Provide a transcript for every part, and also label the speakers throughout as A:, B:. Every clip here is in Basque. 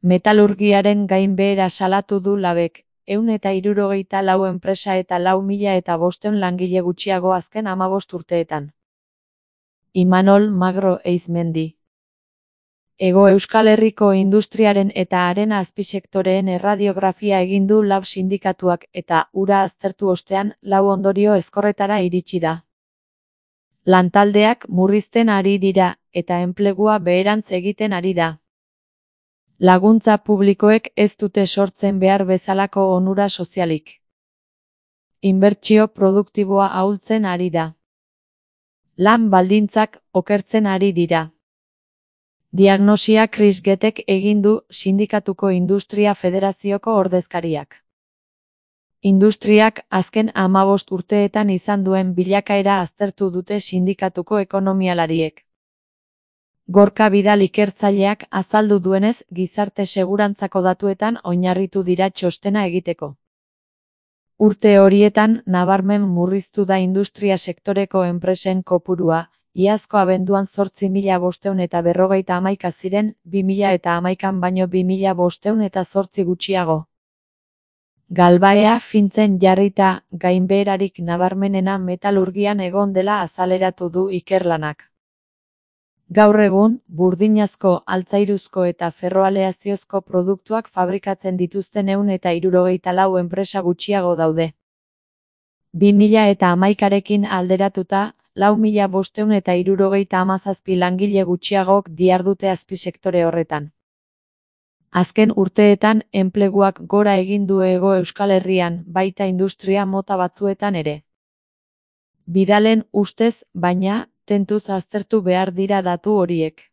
A: Metalurgiaren gainbehera salatu du Labek, 164 enpresa eta 4.500 langile gutxiago azken 15 urteetan. Imanol Magro Eizmendi. Hego Euskal Herriko industriaren eta haren azpisektoreen erradiografia egin du Lab sindikatuak eta hura aztertu ostean 4 ondorio ezkorretara iritsi da. Lantaldeak murrizten ari dira eta enplegua beherantz egiten ari da. Laguntza publikoek ez dute sortzen behar bezalako onura sozialik. Inbertsio produktiboa ahultzen ari da. Lan baldintzak okertzen ari dira. Diagnosia Chris Gettek egin du Sindikatuko Industria Federazioko ordezkariak. Industriak azken 15 urteetan izan duen bilakaera aztertu dute sindikatuko ekonomialariek. Gorka Bidal ikertzaileak azaldu duenez, gizarte segurantzako datuetan oinarritu dira txostena egiteko. Urte horietan nabarmen murriztu da industria sektoreko enpresen kopurua, iazko abenduan 8.551 ziren, 2011an baino 2.508 gutxiago. Galbaea fintzen jarrita, gainbeherarik nabarmenena metalurgian egon dela azaleratu du ikerlanak. Gaur egun, burdinazko, altzairuzko eta ferroaleaziozko produktuak fabrikatzen dituzten 164 enpresa gutxiago daude. 2011arekin alderatuta, 4.577 langile gutxiagok dihardute azpisektore horretan. Azken urteetan enpleguak gora egin du Hego Euskal Herrian, baita industria mota batzuetan ere. Bidalen ustez, baina, tentuz aztertu behar dira datu horiek.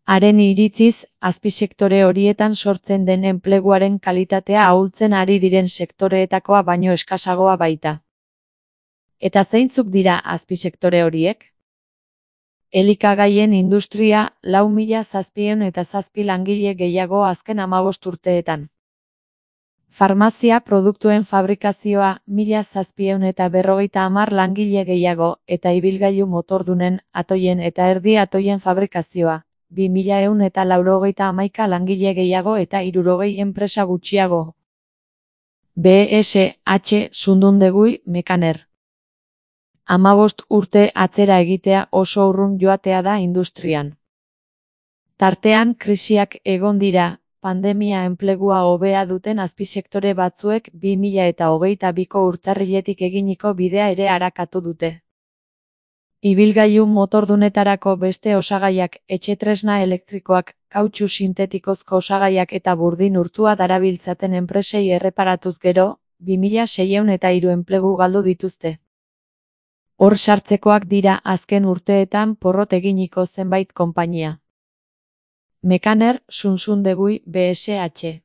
A: Haren iritziz, azpisektore horietan sortzen den enpleguaren kalitatea ahultzen ari diren sektoreetakoa baino eskasagoa baita. Eta zeintzuk dira azpisektore horiek? Elikagaien industria 4.707 langile gehiago azken 15 urteetan. Farmazia produktuen fabrikazioa 1.750 langile gehiago eta ibilgailu motordunen, atoien eta erdi atoien fabrikazioa 2.191 langile gehiago eta 60 enpresa gutxiago. BSH Sundundegui Mekaner. 15 urte atzera egitea oso urrun joatea da industrian. Tartean krisiak egon dira, pandemia enplegua hobea duten azpisektore batzuek 2022ko urtarriletik eginiko bidea ere arakatu dute. Ibilgailu motordunetarako beste osagaiak, etxetresna elektrikoak, kautxu sintetikozko osagaiak eta burdin urtua darabiltzaten enpresei erreparatuz gero, 2.603 enplegu galdu dituzte. Hor sartzekoak dira azken urteetan porrot eginiko zenbait konpainia. Mekaner, Sundundegui, BSH.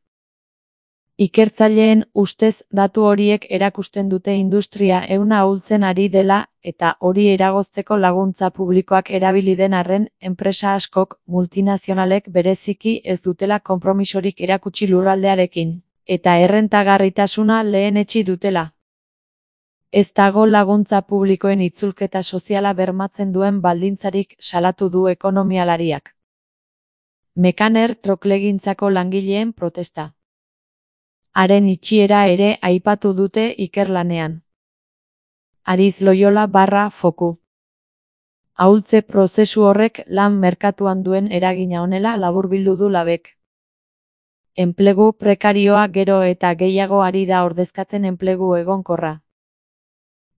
A: Ikertzaileen ustez datu horiek erakusten dute industria ehuna ahultzen ari dela eta hori eragozteko laguntza publikoak erabili den arren, enpresa askok, multinazionalek bereziki ez dutela konpromisorik erakutsi lurraldearekin, eta errentagarritasuna lehenetsi dutela. Ez dago laguntza publikoen itzulketa soziala bermatzen duen baldintzarik salatu du ekonomialariak. Mekaner troklegintzako langileen protesta. Haren itxiera ere aipatu dute ikerlanean. Ariz Loyola /Foku. Ahultze prozesu horrek lan merkatuan duen eragina honela laburbildu du Labek. Enplegu prekarioa gero eta gehiago ari da ordezkatzen enplegu egonkorra.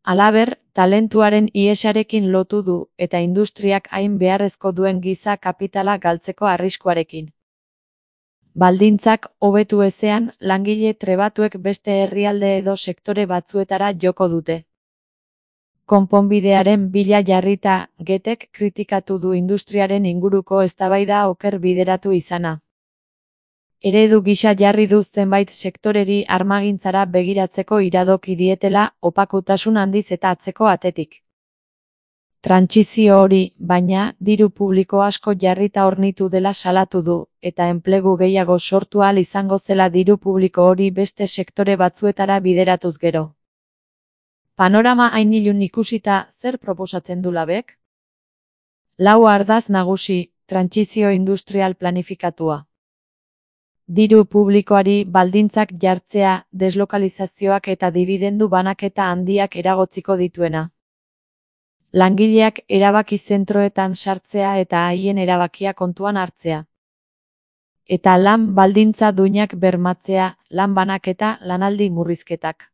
A: Halaber, talentuaren ihesarekin lotu du eta industriak hain beharrezko duen giza kapitala galtzeko arriskuarekin. Baldintzak hobetu ezean, langile trebatuek beste herrialde edo sektore batzuetara joko dute. Konponbidearen bila jarrita, Gettek kritikatu du industriaren inguruko eztabaida oker bideratu izana. Eredu gisa jarri du zenbait sektoreri armagintzara begiratzeko iradoki dietela, opakutasun handiz eta atzeko atetik. Trantsizio hori, baina, diru publiko asko jarrita hornitu dela salatu du, eta enplegu gehiago sortu ahal izango zela diru publiko hori beste sektore batzuetara bideratuz gero. Panorama hain ilun ikusita, zer proposatzen du Labek? 4 ardatz nagusi, trantsizio industrial planifikatua. Diru publikoari baldintzak jartzea, deslokalizazioak eta dibidendu banaketa handiak eragotziko dituena. Langileak erabaki zentroetan sartzea eta haien erabakia kontuan hartzea. Eta lan baldintza duinak bermatzea, lan banaketa, lanaldi murrizketak.